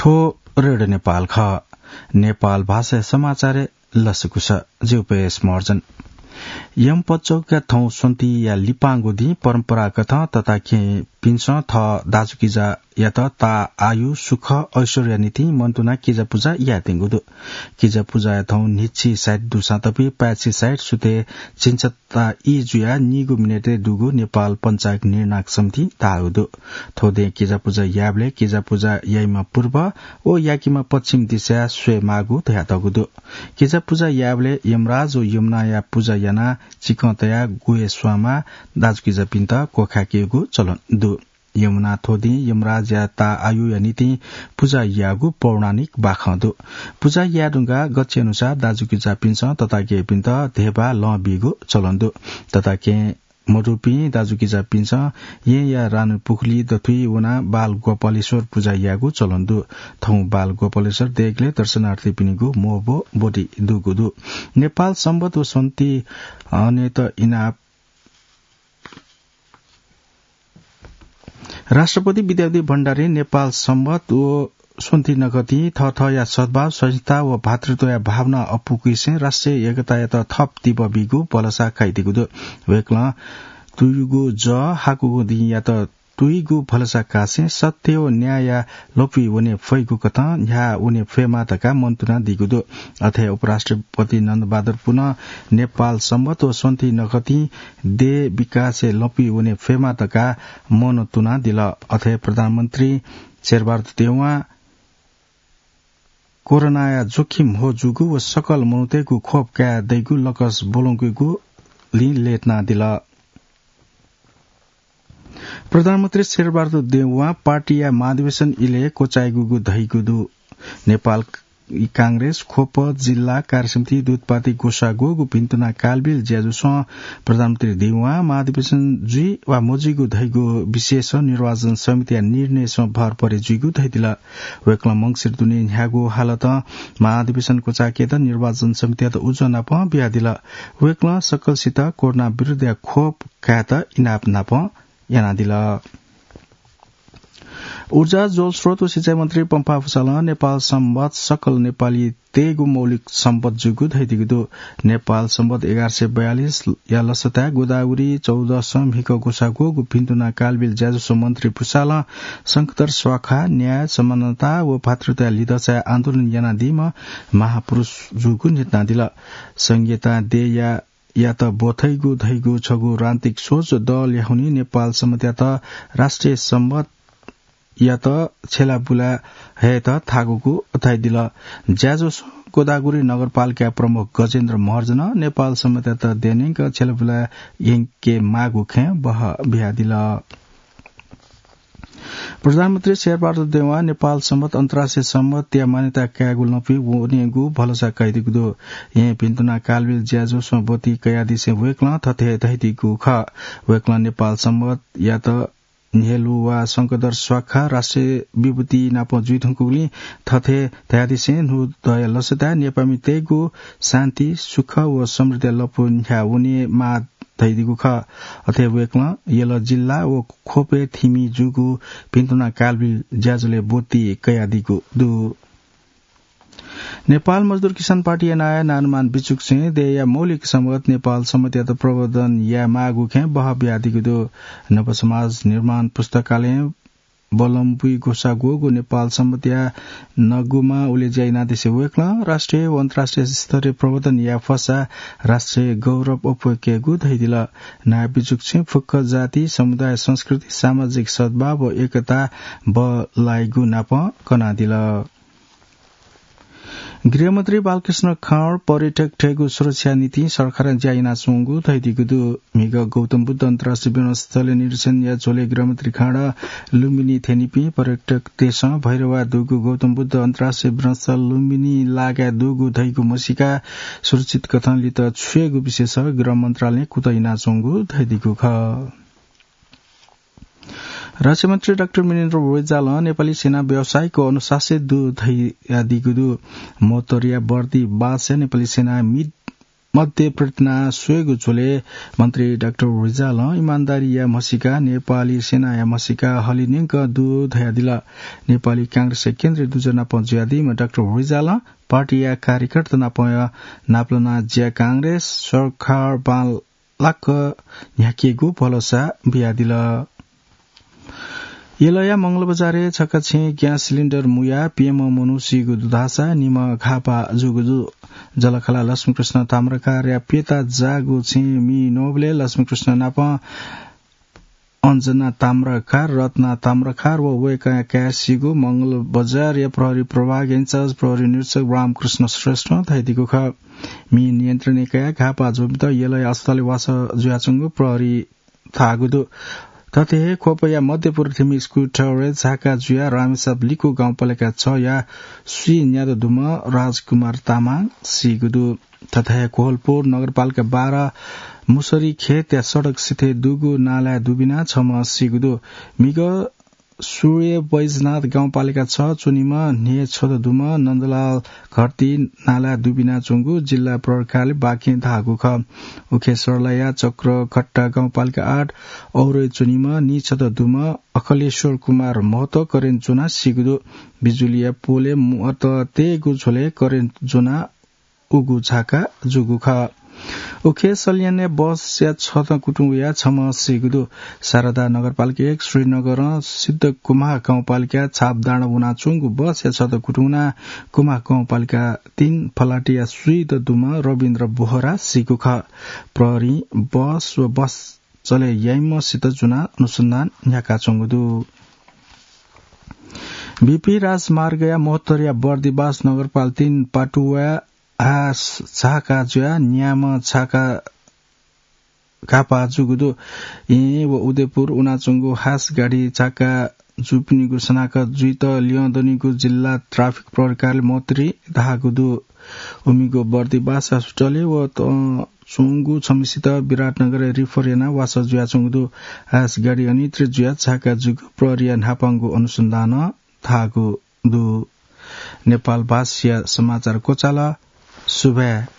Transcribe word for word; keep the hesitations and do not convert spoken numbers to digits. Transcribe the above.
थ्व रेडियो नेपाल खः। नेपाल भाषा समाचार लसकुस। जिउपेश महर्जन। यमपचौका थौं स्वन्तिया लिपांगु दिं परम्परागत तताकेहेँपिन्सं थः दाजुकिजायात ता आयु, सुख, ऐश्वर्या निंतिं मनंतुना किजा पुजा यायेत्यंगु दु। किजा पुजाया थौं न्हिच्छि साइत दुसां तपी पाय्छि साइत सुथय् झिंछता ई जुयाः नीगू मिनेटय् दुगु नेपाल पञ्चाङ्ग निर्णायक समितिं धाःगु दु। थ्व दें किजा पुजा यायेबलय् किजा पुजा याइम्ह पूर्व व याकीम्ह पश्चिम दिशाय् स्वयेमाःगु धयातःगु दु। किजा पुजा यायेबलय् यमराज व यमुनाया पुजा यानाः चिकं तयाः ग्वय् स्वांमाः दाजुकिजापिन्त क्वखाय्केगु चलन दु। यमुना थ्व दिं यमराजया ता आयुया निंतिं पुजा याःगु पौराणिक बाखं दु। पुजा याये धुंकाः गच्छे अनुसार दाजुकिजापिन्सं तताकेहेँपिन्त धेबा लं बीगु चलन दु। तताकेहेँ मदुपिं दाजुकिजापिन्सं येँया रानु पुखुली दथुइ वनाः बाल गोपालेश्वर पुजा यायेगु चलन दु। थौं बाल गोपालेश्वर देगलय् दर्शनार्थीपिनिगु मोहबो ब्वति दुगु दु। नेपाल संवत व स्वन्ति हनेत इनाप। राष्ट्रपति विद्यादेवी भण्डारीं नेपाल संवत व स्वन्ति नखतिं थःथःया सद्भाव, सहिष्णुता व भातृत्वया भावना अप्वुकेसें राष्ट्रिय एकतायात थप तिबः बीगु भलसा कयादीगु दु। वय्कलं तुयुगु जः हाकुगु दिंयात तुइगु भलसा कासें सत्य व न्यायया लँपुइ वने फइगु कथं न्ह्याः वने फयेमा धकाः मनंतुनादीगु दु। अथे उपराष्ट्रपति नन्दबहादुर पुनं नेपाल संवत व स्वन्ति नखतिं देय् विकासय् लँपुइ वने फयेमा धकाः मनंतुनादिल। अथे प्रधानमन्त्री शेरबहादुर देउवां कोरोनाया जोखिम ह्वः जूगु व सकल मनूतय्गु खोप काये दइगु लकस ब्वलंकेगुलिं लय्तानादिल। प्रधानमन्त्री शेरबहादुर देउवां पार्टीया महाधिवेशन इलय् क्वचाइगु धइगु दु। नेपाल कांग्रेस, खोप, जिल्ला कार्यसमिति, दूतपाती ग्वसाः ग्वःगु भिन्तुना कालबिल ज्याझ्वलय् प्रधानमन्त्री देउवां महाधिवेशन जुइ वा मजुइगु धइगु विषयय् निर्वाचन समितिया निर्णयय् भर परे जुइगु धयादिल। वय्कलं मंसिर दुने न्ह्यागु हालतं महाधिवेशन क्वचाय्केत निर्वाचन समितियात उजं नापं बियादिल। वय्कलं सकलसित कोरोना विरुद्धया खोप कायेत इनाप नापं यानादिल। ऊर्जा, जलस्रोत व सिँचाइ मन्त्री पम्फा भुसालं नेपाल संवत सकल नेपालीतय्गु मौलिक सम्पत जूगु धयादीगु दु। नेपाल संवत एघार सय बयालिसया लसताय् गोदावरी चौधसं म्हिगः ग्वसाः ग्वःगु भिन्तुना कालबिल ज्याझ्वलय् मन्त्री भुसालं शंखधर स्वाखा, न्याय, समानता व भातृत्वया लिधचाय् आन्दोलन यानादीम्ह महापुरुष जूगु न्ह्यथनादिल। संघीयतां देय्या यात ब्वथइगु धइगु छगू राजनीतिक सोच दःल्याखुन्हु नेपाल संवतयात राष्ट्रिय संवतयात छ्यलाबुला हयेत थाकूगु धयादिल। ज्याझ्वलय् गोदावरी नगरपालिकाया प्रमुख गजेन्द्र महर्जनं नेपाल संवतयात देय्न्यंक छ्यलाबुला यंकेमाःगु खँय् बहः बियादिल। प्रधानमन्त्री शेरबहादुर देउवां नेपाल संवत अन्तर्राष्ट्रिय संवतया मान्यता कायेगु लँपुइ वनेगु भलसा कयादीगु दु। येँ भिन्तुना कालबिल ज्याझ्वलय् ब्वति कयादिसें वय्कलं थथे धयादीगु खः। वय्कलं नेपाल संवतयात न्ह्यलुवा शंखधर स्वाखा राष्ट्रिय विभूति नाप जुइधुंकूगुलिं थथे धयादिसें न्हूदँया लसताय् नेपाःमितय्गु शान्ति, सुख व समृद्धिया लँपु न्ह्याः वनेमाः धयादीगु खः। अथे वय्कलं यल जिल्ला व खोपय् थिमि जूगु भिन्तुना कालबिल ज्याझ्वलय् ब्वति कयादीगु दु। नेपाल मजदुर किसान पार्टीया नायः नानुमान बिचुकछें देय्या मौलिक सम्पत नेपाल संवतयात प्रवर्धन यायेमाःगु खँय् बहः बियादीगु दु। नव समाज निर्माण पुस्तकालयं ब्वलंपुइ ग्वसाः ग्वःगु नेपाल संवतया नगुमा उलेज्या यानादिसें वय्कलं राष्ट्रिय व अन्तर्राष्ट्रिय स्तरय् प्रवर्धन याये फसा राष्ट्रिय गौरव अप्वय्केगु धयादिल। नायः बिचुकछें फुक्क जाति, समुदाय, संस्कृति, सामाजिक सद्भाव व एकता बल्लाइगु नाप कनादिल। गृहमन्त्री बालकृष्ण खाँड पर्यटकतय्गु सुरक्षा निंतिं सरकारं ज्या यानाच्वंगु धयादीगु दु। म्हिगः गौतम बुद्ध अन्तर्राष्ट्रिय विमानस्थलय् निरीक्षणया झ्वलय् गृहमन्त्री खाँड लुम्बिनी थ्यनीपिं पर्यटकतय्सं भैरवाय् दुगु गौतम बुद्ध अन्तर्राष्ट्रिय विमानस्थल लुम्बिनी लागाय् दुगु धइगु म्हसीका सुरक्षित कथं लित छ्वयेगु विषयय् गृह मन्त्रालयं कुतः यानाच्वंगु धयादीगु खः। रक्षामन्त्री डाक्टर वीरेन्द्र बज्रालं नेपाली सेना व्यावसायिक व अनुशासित दु धयादीगु दु। मोतोरिया बर्दी बासय् नेपाली सेना मिग मध्ये प्रेरणा स्वयेगु झ्वलय् मन्त्री डाक्टर रिजालं इमानदारीया म्हसीका नेपाली सेनाया म्हसीका हलिनिंक दु धयादिल। नेपाली कांग्रेसया केन्द्रीय दुजः नाप जुयादीम्ह डाक्टर रिजालं पार्टीया कार्यकर्ता नाप नापलाना ज्या कांग्रेस सरकार बांलाक न्ह्याकेगु भलसा बियादिल। यलया मंगलबजारय् छकः छेँ ग्यास सिलिन्डर मुयाः प्यम्ह मनू सीगु दु धाःसा निम्ह घाःपाः जूगु दु। जलखला लक्ष्मीकृष्ण ताम्राकारया प्यता जाःगु छेँ मि नोबलय् लक्ष्मीकृष्ण नाप अञ्जना ताम्राकार, रत्ना ताम्राकार व वय्कःया काय् सीगु मंगलबजारया प्रहरी प्रभाग इन्चार्ज प्रहरी निरीक्षक रामकृष्ण श्रेष्ठं धयादीगु खः। मि नियन्त्रणय् कयाः घाःपाः जूपिन्त यलया अस्पतालय् वासः जुयाच्वंगु प्रहरी धाःगु दु। थथे हे ख्वपया मध्यपुर थिमि स्कुटरय् झाका जुयाः रामेसाप लिकु गाउँपालिका छया स्वीन्यादँ दुम्ह राजकुमार तामाङ सीगु दु। थथे हे कोहलपुर नगरपालिका बाह्र मुसरी खेतया सडक सिथय् दुगु नालाय् दुबिना छम्ह सीगु दु। मिग सूर्य बैजनाथ गाउँपालिका छ च्वनीम्ह न्हे छत दुम्ह नन्दलाल घरती नालाय् दुबिना च्वंगु जिल्ला प्रहरी कार्यालय बाँके धाःगु खः। उखे सर्लाया चक्रघट्टा गाउँपालिका आठ औरय् च्वनीम्ह नी छत दुम्ह अखिलेश्वर कुमार महतो करेन्ट ज्वनाः सीगु दु। बिजुलीया पोलय् मुहत तयेगु झ्वलय् करेन्ट ज्वनाः उगु झाका जूगु खः। उखे सल्यानय् बसया छतं कुतुं वयाः छम्ह सीगु दु। शारदा नगरपालिका एक श्रीनगरं सिद्धकुमार गाउँपालिका छापडाँडा वनाच्वंगु बसया छतं कुतुं वनाः कुमार गाउँपालिका तीन फलाटिया स्वीदँ दुम्ह रविन्द्र बोहरा सीगु खः। प्रहरीं बस व बस चले याइम्हसित ज्वनाः अनुसन्धान न्ह्याकाच्वंगु दु। बीपी राजमार्गया मोहतरिया बर्दिबास नगरपालिका तीन पाटुवाय् हास झाका जुयाः न्याम्ह झाका घाःपाः जूगु दु। येँ व उदयपुर वनाच्वंगु हास गाडी झाका जूपिनिगु सनाक जुइत ल्यं दनिगु जिल्ला ट्राफिक प्रहरी कार्यालय मोहतरी धाःगु दु। उमिगु बर्दिबास हस्पिटलय् व तं च्वंगु छम्हसित विराटनगरय् रिफर यानाः वासः जुयाच्वंगु दु। हास गाडी अनियन्त्रित जुयाः झाका जूगु प्रहरीया न्हापांगु अनुसन्धानं धाःगु दु। नेपाल भाषाया समाचार क्वचाल। सुभाय्।